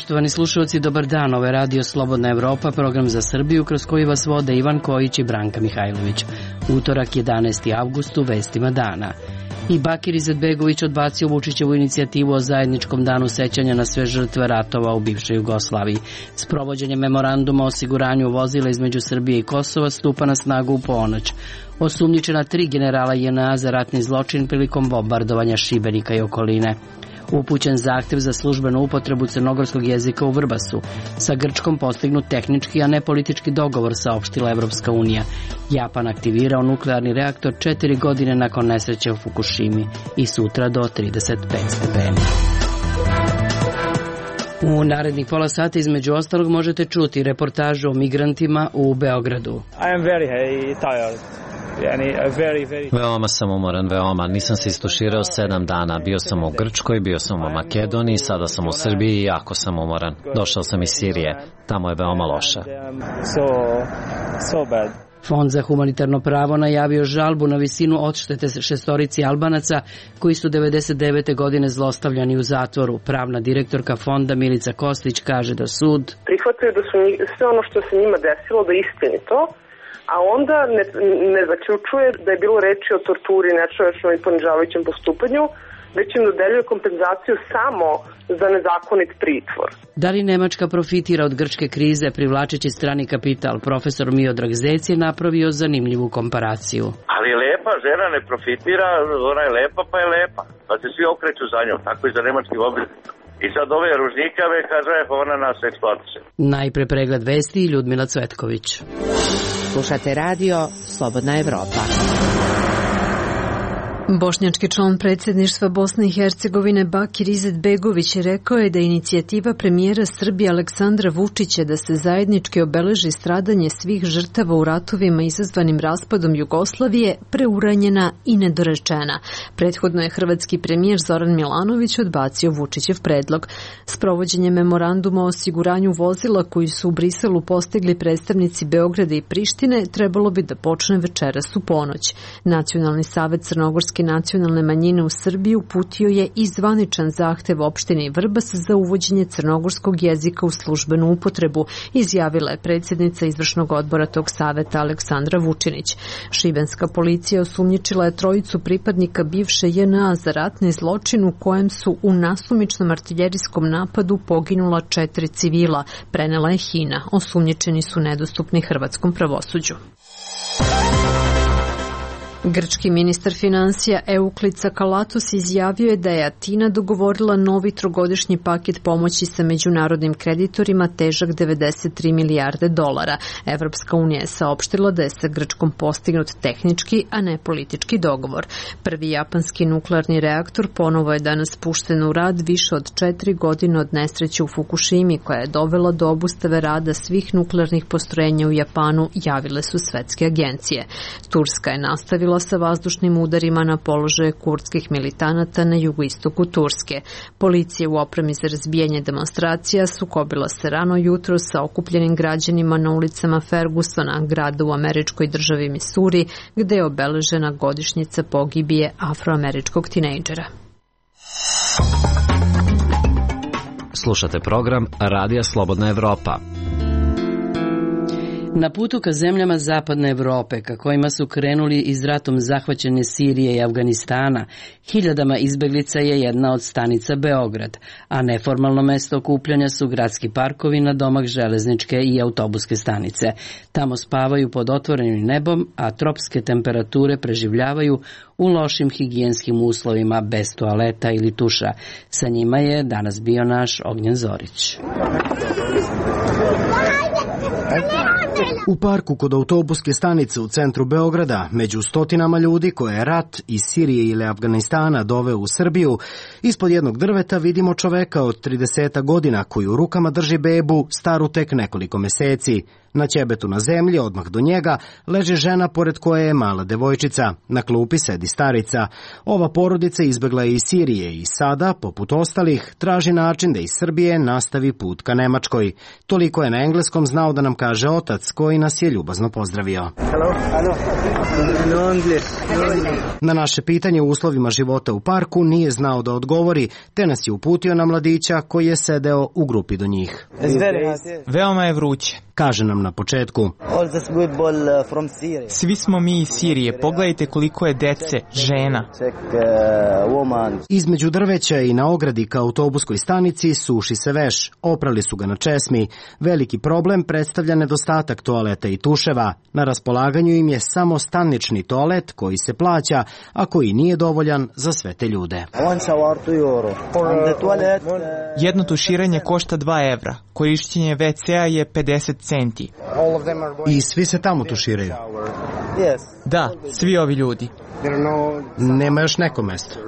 Poštovani slušalci, dobar dan. Ovo je Radio Slobodna Evropa, program za Srbiju kroz koji vas vode Ivan Kojić i Branka Mihajlović. Utorak 11. avgust u vestima dana. I Bakir Izetbegović odbacio Vučićevu inicijativu o zajedničkom danu sećanja na sve žrtve ratova u bivšoj Jugoslaviji. Sprovođenje memoranduma o osiguranju vozila između Srbije i Kosova stupa na snagu u ponoć. Osumnjičena 3 generala JNA za ratni zločin prilikom bombardovanja Šibenika i okoline. Upućen zahtev za službenu upotrebu crnogorskog jezika u Vrbasu. Sa Grčkom postignut tehnički, a ne politički dogovor, saopštila Evropska unija. Japan aktivirao nuklearni reaktor 4 godine nakon nesreće u Fukushimi i sutra do 35 stepeni. U narednih pola sata između ostalog možete čuti reportažu o migrantima u Beogradu. I am very tired. Veoma sam umoran, veoma. Nisam se istuširao 7 dana. Bio sam u Grčkoj, bio sam u Makedoniji, sada sam u Srbiji i jako sam umoran. Došao sam iz Sirije. Tamo je veoma loše. Fond za humanitarno pravo najavio žalbu na visinu odštete 6 Albanaca koji su 99. godine zlostavljani u zatvoru. Pravna direktorka fonda Milica Kostić kaže da sud prihvataju da su sve ono što se njima desilo da je istinito, a onda ne zaključuje da je bilo reči o torturi, nečovečnom i ponižavajućem postupanju, već im dodeljuje kompenzaciju samo za nezakonit pritvor. Da li Nemačka profitira od grčke krize privlačeći strani kapital? Profesor Miodrag Zec je napravio zanimljivu komparaciju. Ali lepa žena ne profitira, ona je lepa pa je lepa. Pa se svi okreću za njom, tako i za nemački obveznik. I sad ove ružnikave kaže ona nas eksploatiše. Najpre pregled vesti i Ljudmila Cvetković. Slušate radio Slobodna Evropa. Bošnjački član predsjedništva Bosne i Hercegovine Bakir Izetbegović rekao je da inicijativa premijera Srbije Aleksandra Vučića da se zajednički obeleži stradanje svih žrtava u ratovima izazvanim raspadom Jugoslavije preuranjena i nedorečena. Prethodno je hrvatski premijer Zoran Milanović odbacio Vučićev predlog. Sprovođenje memoranduma o osiguranju vozila koji su u Briselu postigli predstavnici Beograda i Prištine trebalo bi da počne večeras u ponoć. Nacionalni savet Crnogorske nacionalne manjine u Srbiji uputio je i zvaničan zahtev opštini Vrbas za uvođenje crnogorskog jezika u službenu upotrebu, izjavila je predsjednica izvršnog odbora tog saveta Aleksandra Vučinić. Šibenska policija osumnjičila je 3 pripadnika bivše JNA za ratni zločin u kojem su u nasumičnom artiljerijskom napadu poginula 4 civila, prenela je HINA. Osumnjičeni su nedostupni hrvatskom pravosuđu. Grčki ministar finansija Eukliz Tsakalatos izjavio je da je Atina dogovorila novi 3-godišnji paket pomoći sa međunarodnim kreditorima težak 93 milijarde dolara. Evropska unija je saopštila da je sa Grčkom postignut tehnički, a ne politički dogovor. Prvi japanski nuklearni reaktor ponovo je danas pušten u rad više od 4 godine od nesreće u Fukushimi, koja je dovela do obustave rada svih nuklearnih postrojenja u Japanu, javile su svetske agencije. Turska je nastavila sa vazdušnim udarima na položaje kurdskih militanata na jugoistoku Turske. Policija u opremi za razbijanje demonstracija sukobila se rano jutro sa okupljenim građanima na ulicama Fergusona, grada u američkoj državi Misuri, gde je obeležena godišnjica pogibije afroameričkog tinejdžera. Slušate program Radija Slobodna Evropa. Na putu ka zemljama zapadne Evrope, ka kojima su krenuli iz ratom zahvaćene Sirije i Afganistana, hiljadama izbeglica je jedna od stanica Beograd, a neformalno mesto okupljanja su gradski parkovi na domak železničke i autobuske stanice. Tamo spavaju pod otvorenim nebom, a tropske temperature preživljavaju u lošim higijenskim uslovima bez toaleta ili tuša. Sa njima je danas bio naš Ognjen Zorić. U parku kod autobuske stanice u centru Beograda, među stotinama ljudi koje je rat iz Sirije ili Afganistana doveo u Srbiju, ispod jednog drveta vidimo čoveka od 30 godina koji u rukama drži bebu staru tek nekoliko meseci. Na ćebetu na zemlji, odmah do njega, leže žena pored koje je mala devojčica. Na klupi sedi starica. Ova porodica izbegla je iz Sirije i sada, poput ostalih, traži način da iz Srbije nastavi put ka Nemačkoj. Toliko je na engleskom znao da nam kaže otac, koji nas je ljubazno pozdravio. Na naše pitanje u uslovima života u parku nije znao da odgovori, te nas je uputio na mladića koji je sedeo u grupi do njih. Veoma je vruće. Kaže nam na početku. Svi smo mi iz Sirije, pogledajte koliko je dece, žena. Između drveća i na ogradi ka autobuskoj stanici suši se veš, oprali su ga na česmi. Veliki problem predstavlja nedostatak toaleta i tuševa. Na raspolaganju im je samo stanični toalet koji se plaća, a koji nije dovoljan za sve te ljude. Jedno tuširanje košta 2 evra, korišćenje WC-a je 50 centi. I svi se tamo tuširaju? Da, svi ovi ljudi. Nema još neko mesto?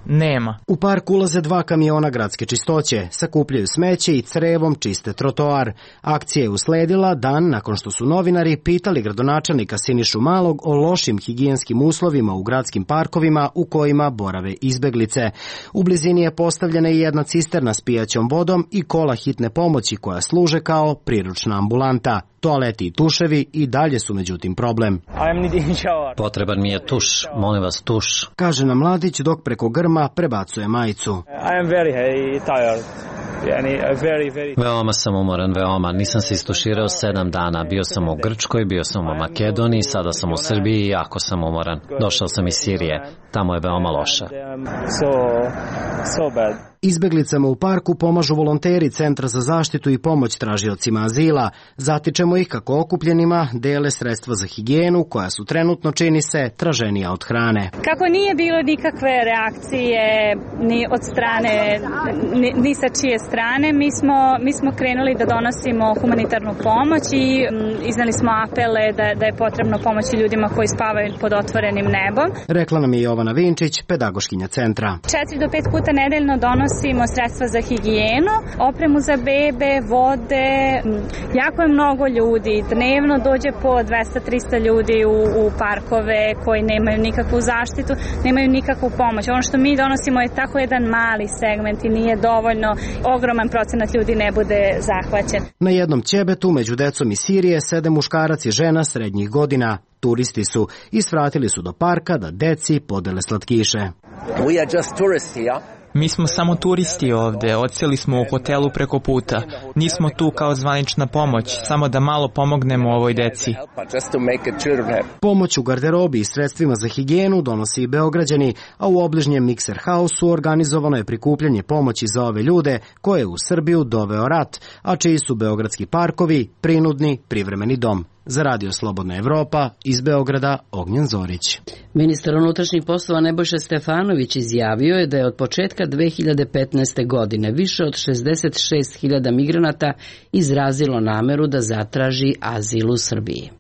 Nema. U park ulaze 2 kamiona gradske čistoće, sakupljaju smeće i crevom čiste trotoar. Akcija je usledila dan nakon što su novinari pitali gradonačelnika Sinišu Malog o lošim higijenskim uslovima u gradskim parkovima u kojima borave izbeglice. U blizini je postavljena i jedna cisterna s pijaćom vodom i kola hitne pomoći koja služe kao priručna ambulanta. Toaleti i tuševi i dalje su međutim problem. Potreban mi je tuš, molim vas tuš. Kaže nam mladić dok preko grma prebacuje majicu. Veoma sam umoran, veoma. Nisam se istuširao 7 dana. Bio sam u Grčkoj, bio sam u Makedoniji, sada sam u Srbiji i jako sam umoran. Došao sam iz Sirije. Tamo je veoma loše. Izbeglicama u parku pomažu volonteri Centra za zaštitu i pomoć tražiocima azila. Zatičemo ih kako okupljenima dele sredstva za higijenu koja su trenutno, čini se, traženija od hrane. Kako nije bilo nikakve reakcije ni od strane, ni sa čije strane, mi smo krenuli da donosimo humanitarnu pomoć i iznali smo apele da je potrebno pomoći ljudima koji spavaju pod otvorenim nebom. Rekla nam je Jovana Vinčić, pedagoškinja centra. 4 do 5 puta nedeljno donosimo sredstva za higijenu, opremu za bebe, vode. Jako je mnogo ljudi. Dnevno dođe po 200-300 ljudi u parkove koji nemaju nikakvu zaštitu, nemaju nikakvu pomoć. Ono što mi donosimo je tako jedan mali segment i nije dovoljno. Ogroman procenat ljudi ne bude zahvaćen. Na jednom ćebetu među decom iz Sirije sede muškarac i žena srednjih godina. Turisti su i svratili su do parka da deci podele slatkiše. Mi smo samo turisti ovde, odseli smo u hotelu preko puta. Nismo tu kao zvanična pomoć, samo da malo pomognemo ovoj deci. Pomoć u garderobi i sredstvima za higijenu donosi i Beograđani, a u obližnjem Mikser Hausu organizovano je prikupljanje pomoći za ove ljude koje je u Srbiju doveo rat, a čiji su beogradski parkovi prinudni privremeni dom. Za Radio Slobodna Evropa, iz Beograda, Ognjen Zorić. Ministar unutrašnjih poslova Nebojša Stefanović izjavio je da je od početka 2015. godine više od 66.000 migranata izrazilo nameru da zatraži azil u Srbiji.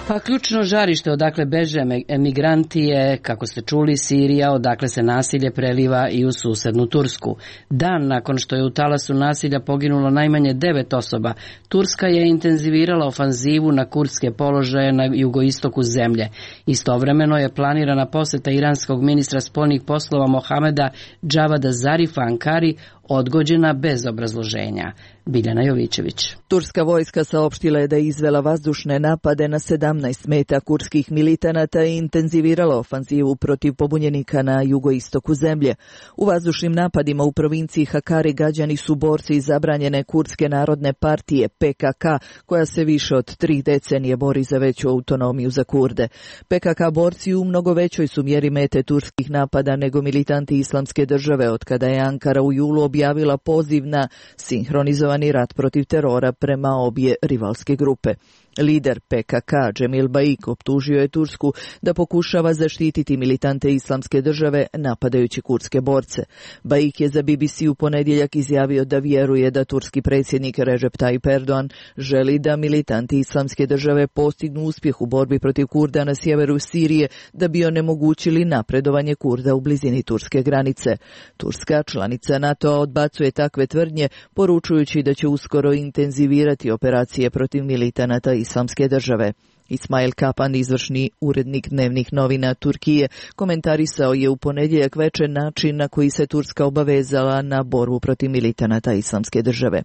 Pa ključno žarište odakle beže emigranti je, kako ste čuli, Sirija, odakle se nasilje preliva i u susednu Tursku. Dan nakon što je u talasu nasilja poginulo najmanje 9 osoba, Turska je intenzivirala ofanzivu na kurdske položaje na jugoistoku zemlje. Istovremeno je planirana poseta iranskog ministra spoljnih poslova Mohameda Džavada Zarifa Ankari odgođena bez obrazloženja. Biljana Jovićević. Turska vojska saopštila je da je izvela vazdušne napade na 17 meta kurdskih militanata i intenzivirala ofanzivu protiv pobunjenika na jugoistoku zemlje. U vazdušnim napadima u provinciji Hakari gađani su borci iz zabranjene kurdske narodne partije PKK, koja se više od 3 decenije bori za veću autonomiju za Kurde. PKK borci u mnogo većoj su mjeri mete turskih napada nego militanti Islamske države, od kada je Ankara u julu objavila poziv na sinhronizovani rat protiv terora prema obje rivalske grupe. Lider PKK Cemil Baik optužio je Tursku da pokušava zaštititi militante Islamske države napadajući kurdske borce. Baik je za BBC u ponedjeljak izjavio da vjeruje da turski predsjednik Recep Tayyip Erdogan želi da militanti Islamske države postignu uspjeh u borbi protiv Kurda na sjeveru Sirije da bi onemogućili napredovanje Kurda u blizini turske granice. Turska, članica NATO, odbacuje takve tvrdnje, poručujući da će uskoro intenzivirati operacije protiv militanata Islamske države. Ismail Kapan, izvršni urednik dnevnih novina Turkije, komentarisao je u ponedjeljak večer način na koji se Turska obavezala na borbu protiv militanata Islamske države.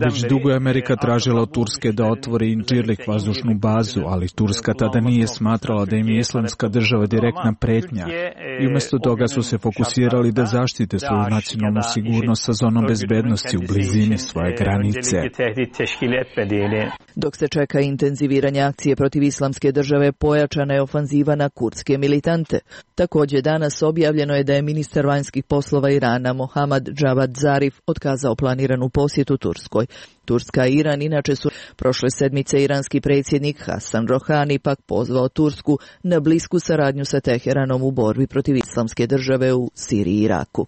Već dugo je Amerika tražila od Turske da otvori Incirlik vazdušnu bazu, ali Turska tada nije smatrala da im je Islamska država direktna pretnja i umjesto toga su se fokusirali da zaštite svoju nacionalnu sigurnost sa zonom bezbednosti u blizini svoje granice. Dok se čeka intenziviranje akcije protiv Islamske države, pojačana je ofanziva na kurdske militante. Također danas objavljeno je da je ministar vanjskih poslova Irana Mohammad Javad Zarif otkazao planiranu posjetu Turskoj. Turska i Iran inače su prošle sedmice iranski predsjednik Hasan Rohani pak pozvao Tursku na blisku saradnju sa Teheranom u borbi protiv Islamske države u Siriji i Iraku.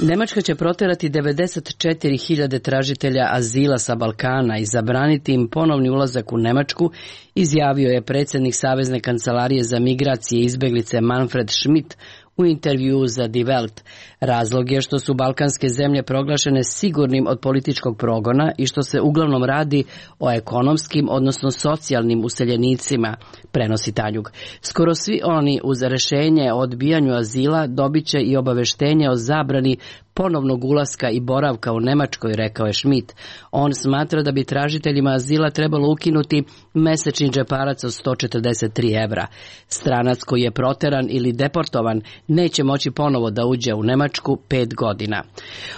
Nemačka će proterati 94.000 tražitelja azila sa Balkana i zabraniti im ponovni ulazak u Nemačku, izjavio je predsjednik Savezne kancelarije za migracije i izbjeglice Manfred Schmidt u intervjuu za Die Welt. Razlog je što su balkanske zemlje proglašene sigurnim od političkog progona i što se uglavnom radi o ekonomskim, odnosno socijalnim useljenicima, prenosi Tanjug. Skoro svi oni uz rješenje o odbijanju azila dobit će i obaveštenje o zabrani ponovnog ulaska i boravka u Nemačkoj, rekao je Schmidt. On smatra da bi tražiteljima azila trebalo ukinuti mesečni džeparac od 143 evra. Stranac koji je proteran ili deportovan neće moći ponovo da uđe u Nemačku 5 godina.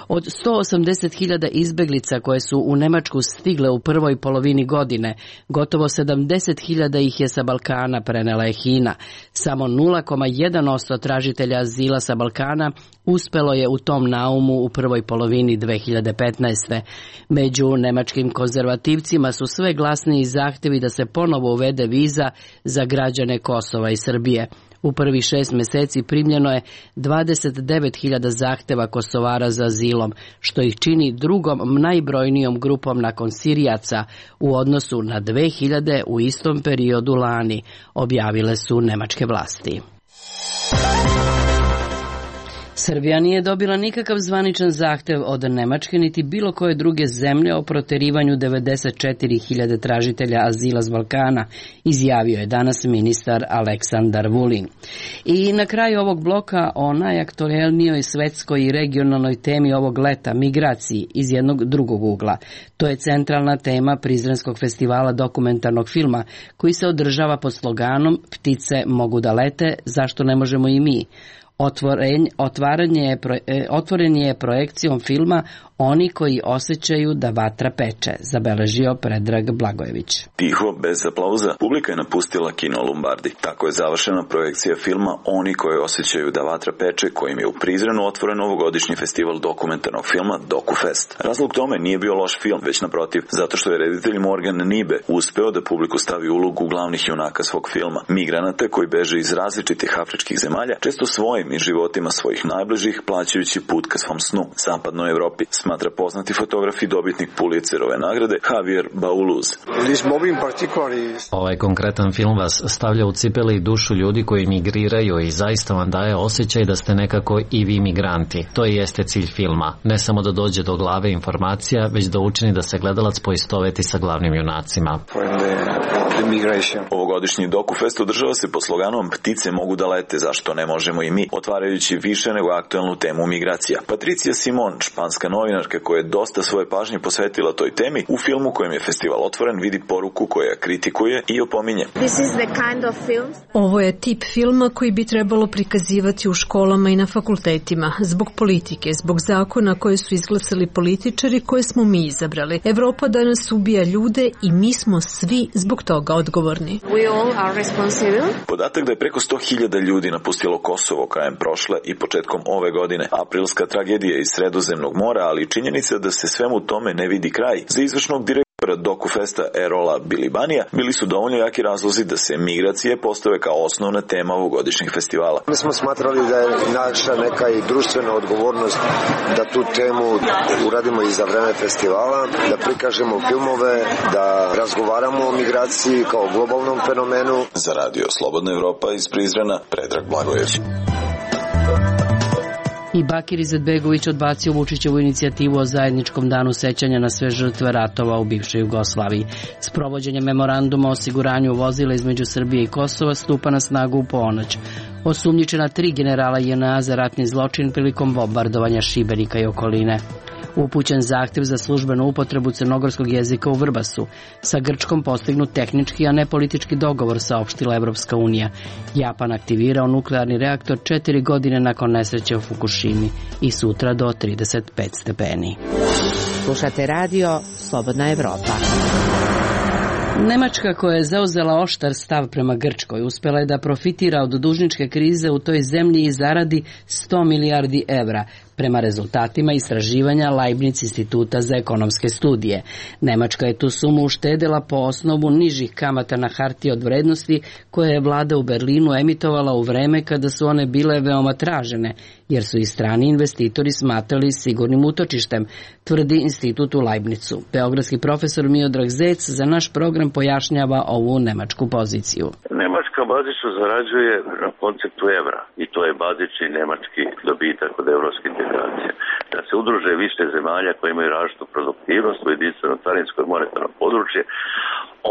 Od 180.000 izbeglica koje su u Nemačku stigle u prvoj polovini godine, gotovo 70.000 ih je sa Balkana, prenela je HINA. Samo 0,1% tražitelja azila sa Balkana uspelo je u tom naumu u prvoj polovini 2015. Među nemačkim konzervativcima su sve glasniji zahtjevi da se ponovo uvede viza za građane Kosova i Srbije. U prvih 6 mjeseci primljeno je 29.000 zahtjeva Kosovara za azilom, što ih čini drugom najbrojnijom grupom nakon Sirijaca u odnosu na 2.000 u istom periodu lani, objavile su nemačke vlasti. Srbija nije dobila nikakav zvaničan zahtjev od Nemačke niti bilo koje druge zemlje o proterivanju 94.000 tražitelja azila s Balkana, izjavio je danas ministar Aleksandar Vulin. I na kraju ovog bloka o najaktuelnijoj svetskoj i regionalnoj temi ovog leta, migraciji, iz jednog drugog ugla. To je centralna tema Prizrenskog festivala dokumentarnog filma koji se održava pod sloganom Ptice mogu da lete, zašto ne možemo i mi? Otvoren je projekcijom filma Oni koji osjećaju da vatra peče, zabeležio Predrag Blagojević. Tiho, bez aplauza, publika je napustila kino Lombardi. Tako je završena projekcija filma Oni koji osjećaju da vatra peče, kojim je u Prizrenu otvoren ovogodišnji festival dokumentarnog filma DokuFest. Razlog tome nije bio loš film, već naprotiv, zato što je reditelj Morgan Nibe uspeo da publiku stavi u ulogu glavnih junaka svog filma, migranata koji beže iz različitih afričkih zemalja, često svojim i životima svojih najbližih, plaćajući put ka svom snu, zapadnoj Evropi, smatra poznati fotograf i dobitnik Pulitzerove nagrade Javier Bauluz. Ovaj konkretan film vas stavlja u cipele i dušu ljudi koji migriraju i zaista vam daje osjećaj da ste nekako i vi migranti. To i jeste cilj filma. Ne samo da dođe do glave informacija, već da učini da se gledalac poistoveti sa glavnim junacima. Ovogodišnji DokuFest održava se pod sloganom Ptice mogu da lete, zašto ne možemo i mi, otvarajući više nego aktuelnu temu migracija. Patricija Simon, španska novinarka koja je dosta svoje pažnje posvetila toj temi, u filmu kojem je festival otvoren vidi poruku koja kritikuje i opominje. Ovo je tip filma koji bi trebalo prikazivati u školama i na fakultetima, zbog politike, zbog zakona koje su izglasali političari koje smo mi izabrali. Evropa danas ubija ljude i mi smo svi zbog toga odgovorni. Podatak da je preko 100.000 ljudi napustilo Kosovo krajem prošle i početkom ove godine, aprilska tragedija iz Sredozemnog mora, ali i ali činjenica da se svemu tome ne vidi kraj. Za izvršnog direktora DokuFesta Erola Bilibanija bili su dovoljno jaki razlozi da se migracije postave kao osnovna tema ovogodišnjeg festivala. Mi smo smatrali da je naša neka i društvena odgovornost da tu temu uradimo i za vreme festivala, da prikažemo filmove, da razgovaramo o migraciji kao globalnom fenomenu. Za radio Slobodna Evropa iz Prizrena, Predrag Blagojević. I Bakir Izetbegović odbacio Vučićevu inicijativu o zajedničkom danu sećanja na sve žrtve ratova u bivšoj Jugoslaviji. Sprovođenje memoranduma o osiguranju vozila između Srbije i Kosova stupa na snagu u ponoć. Osumnjičena 3 generala JNA za ratni zločin prilikom bombardovanja Šibenika i okoline. Upućen zahtev za službenu upotrebu crnogorskog jezika u Vrbasu. Sa Grčkom postignut tehnički, a ne politički dogovor, saopštila Evropska unija. Japan aktivirao nuklearni reaktor 4 godine nakon nesreće u Fukushimi i sutra do 35 stepeni. Slušate radio Slobodna Evropa. Nemačka, koja je zauzela oštar stav prema Grčkoj, uspela je da profitira od dužničke krize u toj zemlji i zaradi 100 milijardi evra, prema rezultatima istraživanja Leibniz instituta za ekonomske studije. Nemačka je tu sumu uštedela po osnovu nižih kamata na hartije od vrednosti koje je vlada u Berlinu emitovala u vreme kada su one bile veoma tražene, jer su i strani investitori smatrali sigurnim utočištem, tvrdi institut u Leibnizu. Beogradski profesor Miodrag Zec za naš program pojašnjava ovu nemačku poziciju. Nemačka bazično zarađuje na konceptu evra i to je bazični nemački dobitak od evropske integracije. Da se udruže više zemalja koje imaju različitu produktivnost u jedinstveno carinsko i monetarno područje,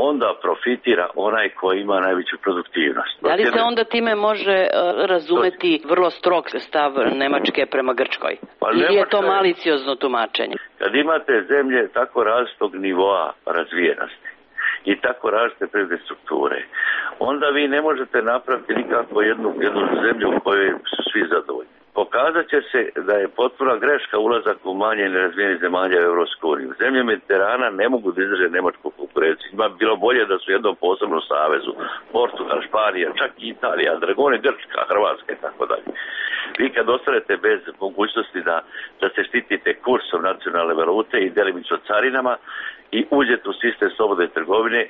onda profitira onaj koji ima najveću produktivnost. Da li se onda time može razumeti vrlo strog stav Nemačke prema Grčkoj? Ili je to maliciozno tumačenje? Kad imate zemlje tako različitog nivoa razvijenosti i tako različite privredne strukture, onda vi ne možete napraviti nikako jednu zemlju u kojoj su svi zadovoljni. Pokazat će se da je potpuna greška ulazak u manje nerazvijenih zemalja u Evropsku uniju. Zemlje Mediterana ne mogu da izdrže nemačku konkurenciju. Ima bilo bolje da su u jednom posebnom savezu. Portugal, Španija, čak i Italija, Dragone, Grčka, Hrvatska i tako dalje. Vi kad ostanete bez mogućnosti da se štitite kursom nacionalne valute i delimično carinama i uđete u sistem slobodne trgovine,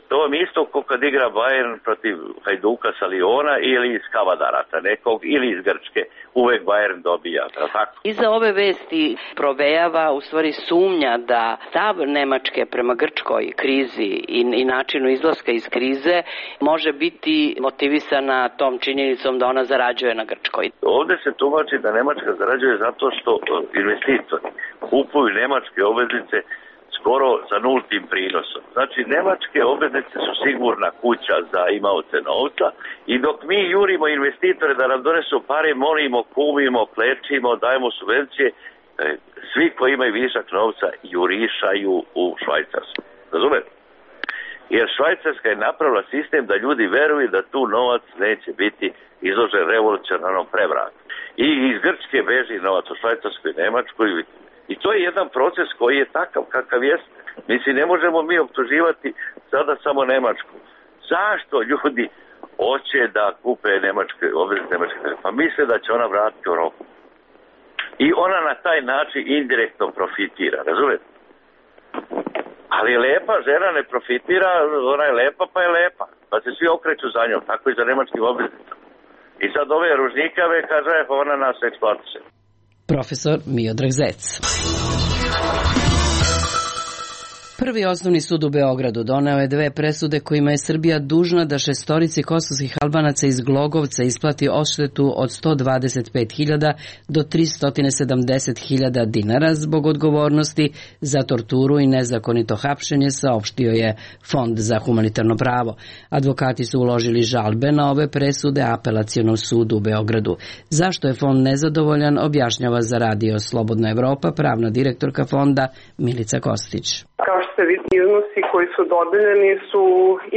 to vam isto kao kad igra Bayern protiv Hajduka sa Liona ili iz Kavadarata nekog ili iz Grčke. Uvek Bayern dobija, tako? Iza ove vesti provejava u stvari sumnja da stav Nemačke prema Grčkoj krizi i načinu izlaska iz krize može biti motivisana tom činjenicom da ona zarađuje na Grčkoj. Ovde se tumači da Nemačka zarađuje zato što investitori kupuju nemačke obveznice skoro sa nultim prinosom. Znači, nemačke obveznice su sigurna kuća za imaoce novca i dok mi jurimo investitore da nam donesu pare, molimo, kumimo, klečimo, dajemo subvencije, svi koji imaju višak novca jurišaju u Švajcarsku. Razumete? Jer Švajcarska je napravila sistem da ljudi veruju da tu novac neće biti izložen revolucionarnom prevratu. I iz Grčke beži novac u Švajcarsku i Nemačku i to je jedan proces koji je takav kakav jest. Mislim, ne možemo mi optuživati sada samo Nemačku. Zašto ljudi hoće da kupe nemačke obveznice nemačke? Pa misle da će ona vratiti u roku. I ona na taj način indirektno profitira, razumete? Ali lepa žena ne profitira, ona je lepa pa je lepa. Pa se svi okreću za njom, tako i za nemačkim obveznicama. I sad ove ružnikave kaže, pa ona nas eksploatiše. Profesor Miodrag Zec. Prvi osnovni sud u Beogradu doneo je 2 presude kojima je Srbija dužna da 6 kosovskih Albanaca iz Glogovca isplati odštetu od 125.000 do 370.000 dinara zbog odgovornosti za torturu i nezakonito hapšenje, saopštio je Fond za humanitarno pravo. Advokati su uložili žalbe na ove presude Apelacionom sudu u Beogradu. Zašto je Fond nezadovoljan, objašnjava za radio Slobodna Evropa pravna direktorka Fonda Milica Kostić. Kao što se vidi, iznosi koji su dodeljeni su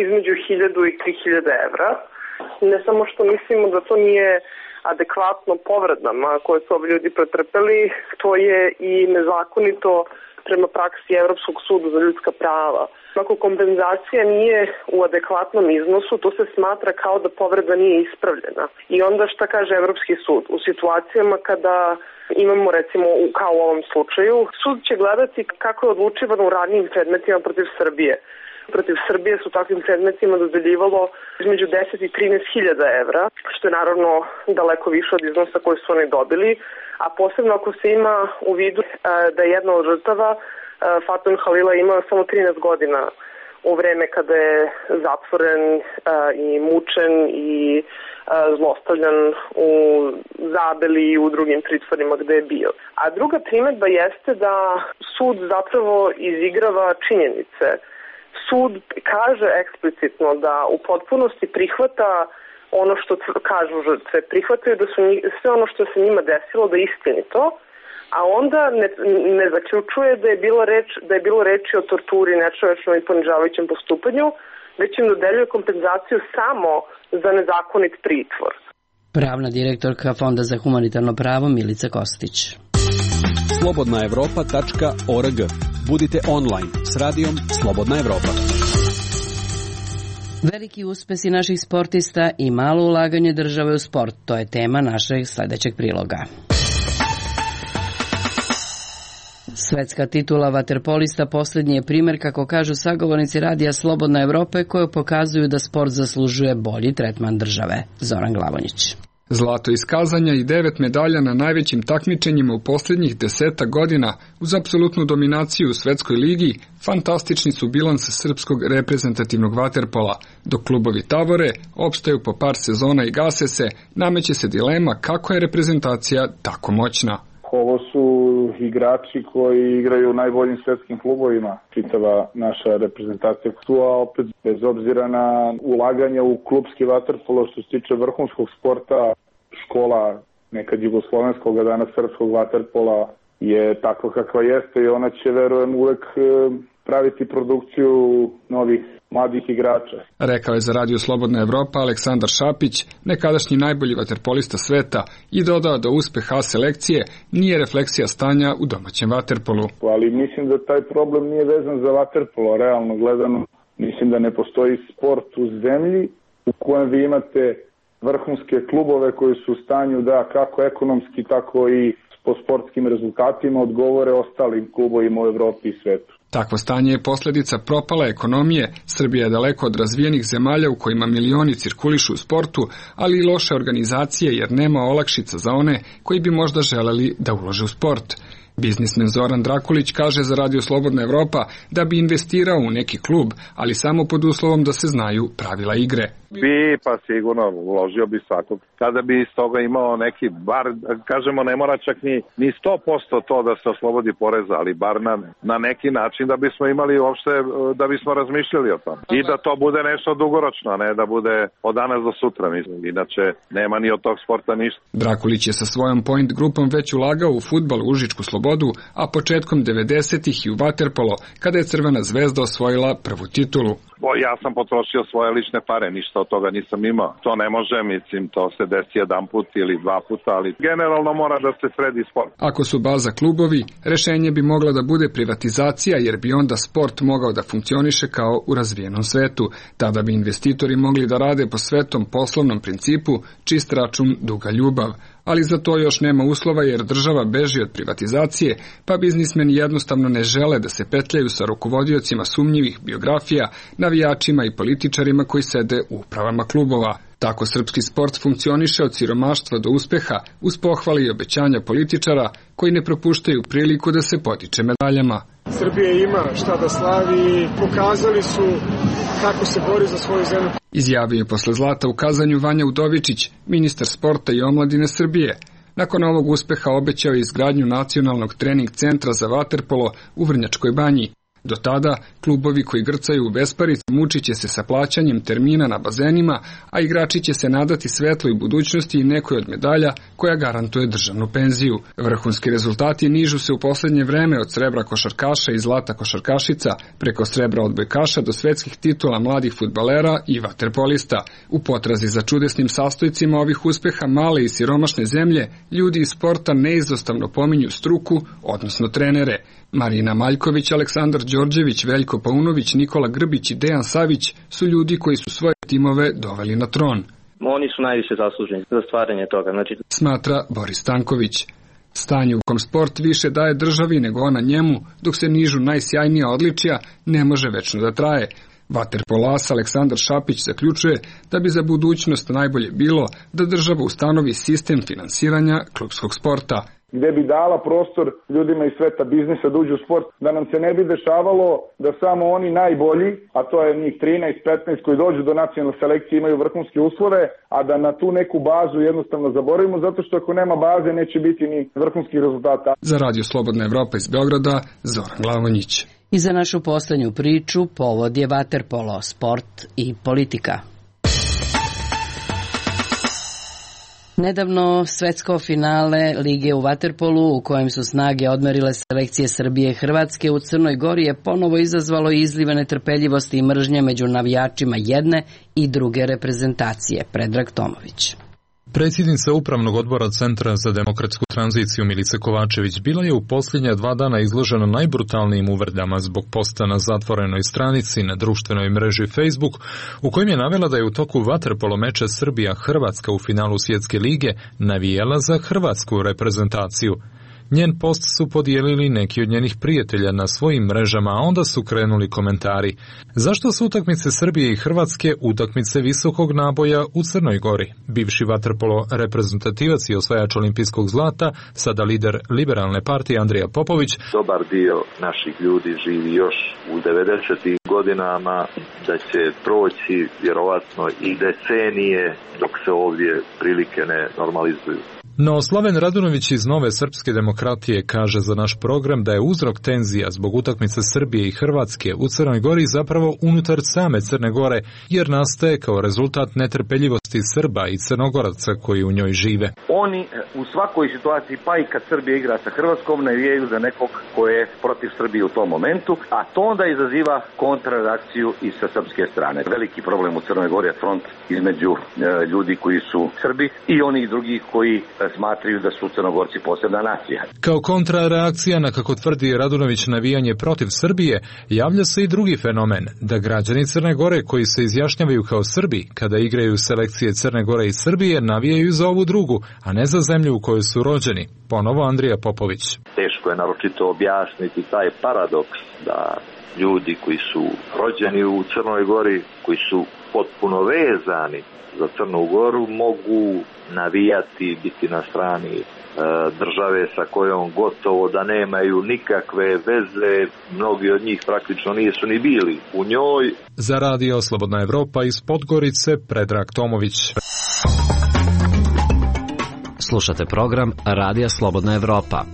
između 1000 i 3000 evra. Ne samo što mislimo da to nije adekvatno povredama koje su ovi ljudi pretrpeli, to je i nezakonito prema praksi Evropskog suda za ljudska prava. Ako kompenzacija nije u adekvatnom iznosu, to se smatra kao da povreda nije ispravljena. I onda šta kaže Evropski sud? U situacijama kada imamo, recimo, kao u ovom slučaju, sud će gledati kako je odlučivano u radnim predmetima protiv Srbije. Protiv Srbije su takvim predmetima dodeljivalo između 10 i 13.000 evra, što je naravno daleko više od iznosa koji su oni dobili, a posebno ako se ima u vidu da je jedna od žrtava, Fatun Halila, ima samo 13 godina u vreme kada je zatvoren i mučen i zlostavljan u Zabeli i u drugim pritvorima gde je bio. A druga primedba jeste da sud zapravo izigrava činjenice. Sud kaže eksplicitno da u potpunosti prihvata ono što kažu žrtve, prihvataju da su sve ono što se njima desilo da je istinito, a onda ne zaključuje da je bilo reči o torturi, nečovečnom i ponižavajućem postupanju, već im dodeljuje kompenzaciju samo za nezakonit pritvor. Pravna direktorka Fonda za humanitarno pravo Milica Kostić. slobodnaevropa.org. Budite online s radijom Slobodna Evropa. Veliki uspesi naših sportista i malo ulaganje države u sport, to je tema našeg sledećeg priloga. Svetska titula vaterpolista poslednji je primer, kako kažu sagovornici radija Slobodna Evropa, koje pokazuju da sport zaslužuje bolji tretman države. Zoran Glavonjić. Zlato iskazanja i 9 medalja na najvećim takmičenjima u posljednjih 10 godina uz apsolutnu dominaciju u svetskoj ligi, fantastični su bilans srpskog reprezentativnog vaterpola. Dok klubovi tavore, opstaju po par sezona i gase se, nameće se dilema kako je reprezentacija tako moćna. Ovo su igrači koji igraju u najboljim svetskim klubovima, čitava naša reprezentacija. A opet, bez obzira na ulaganje u klubski vaterpolo, što se tiče vrhunskog sporta, škola nekad jugoslovenskog, a danas srpskog vaterpola je takva kakva jeste i ona će, verujem, uvek praviti produkciju novih mladih igrača. Rekao je za Radio Slobodna Evropa Aleksandar Šapić, nekadašnji najbolji vaterpolista sveta, i dodao da uspeh A selekcije nije refleksija stanja u domaćem vaterpolu. Ali mislim da taj problem nije vezan za vaterpolo, realno gledano. Mislim da ne postoji sport u zemlji u kojem vi imate vrhunske klubove koji su u stanju da kako ekonomski, tako i po sportskim rezultatima odgovore ostalim klubovima u Evropi i svetu. Takvo stanje je posljedica propale ekonomije. Srbija je daleko od razvijenih zemalja u kojima milioni cirkulišu u sportu, ali i loše organizacije jer nema olakšica za one koji bi možda želeli da ulože u sport. Biznismen Zoran Drakulić kaže za Radio Slobodna Evropa da bi investirao u neki klub, ali samo pod uslovom da se znaju pravila igre. Pa sigurno uložio bi svakog. Kada bi iz toga imao neki, bar, kažemo, ne mora čak ni 100% to da se oslobodi poreza, ali bar na neki način da bismo imali uopšte, da bismo razmišljali o tom. I da to bude nešto dugoročno, a ne da bude od danas do sutra, mislim. Inače, nema ni od tog sporta ništa. Drakulić je sa svojom Point grupom već ulagao u fudbal u Užičku Slobodu, a početkom 90-ih i u vaterpolo, kada je Crvena zvezda osvojila prvu titulu. Ja sam potrošio svoje lične pare, ništa od toga nisam imao. To ne može, mislim, to se desi jedan put ili dva puta, ali generalno mora da se sredi sport. Ako su baza klubovi, rešenje bi mogla da bude privatizacija, jer bi onda sport mogao da funkcioniše kao u razvijenom svetu. Tada bi investitori mogli da rade po svetom poslovnom principu, čist račun, duga ljubav. Ali za to još nema uslova jer država beži od privatizacije, pa biznismeni jednostavno ne žele da se petljaju sa rukovodiocima sumnjivih biografija, navijačima i političarima koji sede u upravama klubova. Tako srpski sport funkcioniše od siromaštva do uspeha, uz pohvale i obećanja političara koji ne propuštaju priliku da se potiče medaljama. Srbija ima šta da slavi i pokazali su kako se bori za svoju zemlju. Izjavio je posle zlata u kazanju Vanja Udovičić, ministar sporta i omladine Srbije. Nakon ovog uspeha obećao je izgradnju nacionalnog trening centra za vaterpolo u Vrnjačkoj banji. Do tada, klubovi koji grcaju u besparici mučit će se sa plaćanjem termina na bazenima, a igrači će se nadati svetloj budućnosti i nekoj od medalja koja garantuje državnu penziju. Vrhunski rezultati nižu se u poslednje vreme od srebra košarkaša i zlata košarkašica, preko srebra odbojkaša do svetskih titula mladih fudbalera i vaterpolista. U potrazi za čudesnim sastojcima ovih uspeha male i siromašne zemlje, ljudi iz sporta neizostavno pominju struku, odnosno trenere. Marina Maljković, Aleksandar Đorđević, Veljko Paunović, Nikola Grbić i Dejan Savić su ljudi koji su svoje timove doveli na tron. Oni su najviše zasluženi za stvaranje toga. Smatra Boris Stanković. Stanje u kom sport više daje državi nego ona njemu, dok se nižu najsjajnija odličja, ne može večno da traje. Vaterpolas Aleksandar Šapić zaključuje da bi za budućnost najbolje bilo da država ustanovi sistem finansiranja klupskog sporta, gde bi dala prostor ljudima iz sveta biznisa da uđu u sport, da nam se ne bi dešavalo da samo oni najbolji, a to je njih 13-15 koji dođu do nacionalne selekcije imaju vrhunske uslove, a da na tu neku bazu jednostavno zaboravimo, zato što ako nema baze neće biti ni vrhunskih rezultata. Za Radio Slobodna Evropa iz Beograda, Zoran Glavonjić. I za našu poslednju priču povod je vaterpolo, sport i politika. Nedavno svetsko finale Lige u vaterpolu u kojem su snage odmerile selekcije Srbije i Hrvatske u Crnoj Gori je ponovo izazvalo izlive netrpeljivosti i mržnje među navijačima jedne i druge reprezentacije. Predrag Tomović. Predsjednica Upravnog odbora Centra za demokratsku tranziciju Milica Kovačević bila je u posljednja 2 dana izložena najbrutalnijim uvredama zbog posta na zatvorenoj stranici na društvenoj mreži Facebook, u kojem je navela da je u toku vaterpolo meča Srbija-Hrvatska u finalu Svjetske lige navijala za hrvatsku reprezentaciju. Njen post su podijelili neki od njenih prijatelja na svojim mrežama, a onda su krenuli komentari. Zašto su utakmice Srbije i Hrvatske utakmice visokog naboja u Crnoj Gori? Bivši vaterpolo reprezentativac i osvajač olimpijskog zlata, sada lider Liberalne partije Andrija Popović. Dobar dio naših ljudi živi još u 90. godinama, da će proći vjerovatno i decenije dok se ovdje prilike ne normalizuju. No, Slaven Radunović iz Nove srpske demokratije kaže za naš program da je uzrok tenzija zbog utakmice Srbije i Hrvatske u Crnoj Gori zapravo unutar same Crne Gore, jer nastaje kao rezultat netrpeljivosti Srba i Crnogoraca koji u njoj žive. Oni u svakoj situaciji, pa i kad Srbija igra sa Hrvatskom, navijaju za nekog ko je protiv Srbije u tom momentu, a to onda izaziva kontrareakciju i sa srpske strane. Veliki problem u Crnoj Gori je front između ljudi koji su Srbi i onih drugih koji smatraju da su Crnogorci posebna nacija. Kao kontrareakcija na, kako tvrdi Radunović, navijanje protiv Srbije, javlja se i drugi fenomen, da građani Crne Gore koji se izjašnjavaju kao Srbi, kada igraju selekcije Crne Gore i Srbije, navijaju za ovu drugu, a ne za zemlju u kojoj su rođeni. Ponovo Andrija Popović. Teško je naročito objasniti taj paradoks da ljudi koji su rođeni u Crnoj Gori, koji su potpuno vezani za Crnu Goru, mogu navijati, biti na strani države sa kojom gotovo da nemaju nikakve veze, mnogi od njih praktično nisu ni bili u njoj. Za Radio Slobodna Evropa iz Podgorice, Predrag Tomović. Slušate program Radija Slobodna Evropa.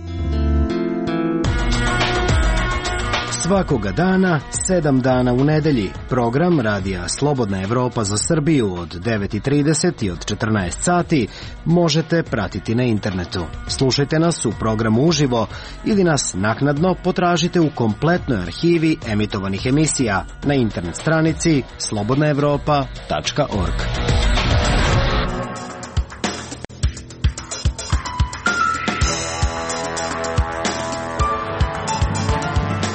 Svakoga dana, 7 dana u nedelji, program Radija Slobodna Evropa za Srbiju od 9:30 i od 14 sati možete pratiti na internetu. Slušajte nas u programu uživo ili nas naknadno potražite u kompletnoj arhivi emitovanih emisija na internet stranici slobodnaevropa.org.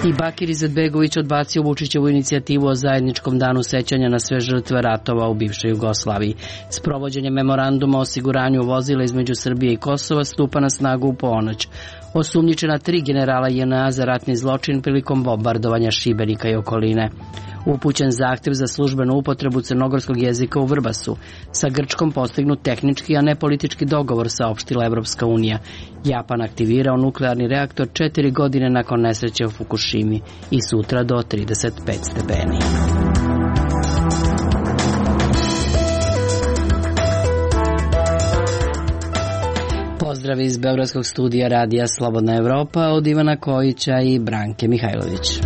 I Bakir Izetbegović odbacio Vučićevu inicijativu o zajedničkom danu sećanja na sve žrtve ratova u bivšoj Jugoslaviji. Sprovođenje memoranduma o osiguranju vozila između Srbije i Kosova stupa na snagu u ponoć. Osumnjičena 3 generala JNA za ratni zločin prilikom bombardovanja Šibenika i okoline. Upućen zahtev za službenu upotrebu crnogorskog jezika u Vrbasu. Sa Grčkom postignut tehnički, a ne politički dogovor, saopštila Evropska unija. Japan aktivirao nuklearni reaktor 4 godine nakon nesreće u Fukushimi i sutra do 35 stepeni. Pozdrav iz Beogradskog studija Radija Slobodna Evropa od Ivana Kojića i Branke Mihajlović.